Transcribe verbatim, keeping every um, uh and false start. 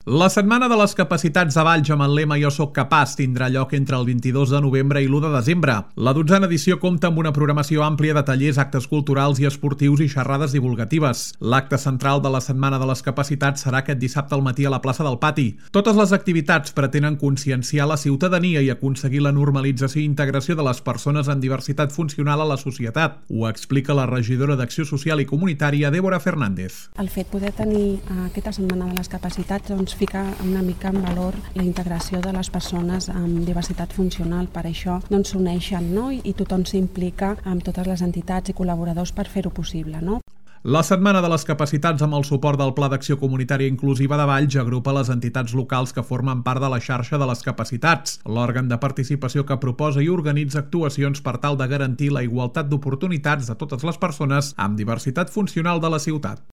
La Setmana de les Capacitats a Valls amb el lema Jo soc capaç tindrà lloc entre el vint-i-dos de novembre i l'u de desembre. La dotzena edició compta amb una programació àmplia de tallers, actes culturals i esportius i xerrades divulgatives. L'acte central de la Setmana de les Capacitats serà aquest dissabte al matí a la plaça del Pati. Totes les activitats pretenen conscienciar la ciutadania i aconseguir la normalització i integració de les persones amb diversitat funcional a la societat. Ho explica la regidora d'Acció Social i Comunitària, Débora Fernández. El fet de poder tenir aquesta Setmana de les Capacitats doncs, fica una mica en valor la integració de les persones amb diversitat funcional. Per això doncs, s'uneixen, no? I tothom s'implica amb totes les entitats i col·laboradors per fer-ho possible, no? La Setmana de les Capacitats, amb el suport del Pla d'Acció Comunitària Inclusiva de Valls, agrupa les entitats locals que formen part de la xarxa de les capacitats, l'òrgan de participació que proposa i organitza actuacions per tal de garantir la igualtat d'oportunitats de totes les persones amb diversitat funcional de la ciutat.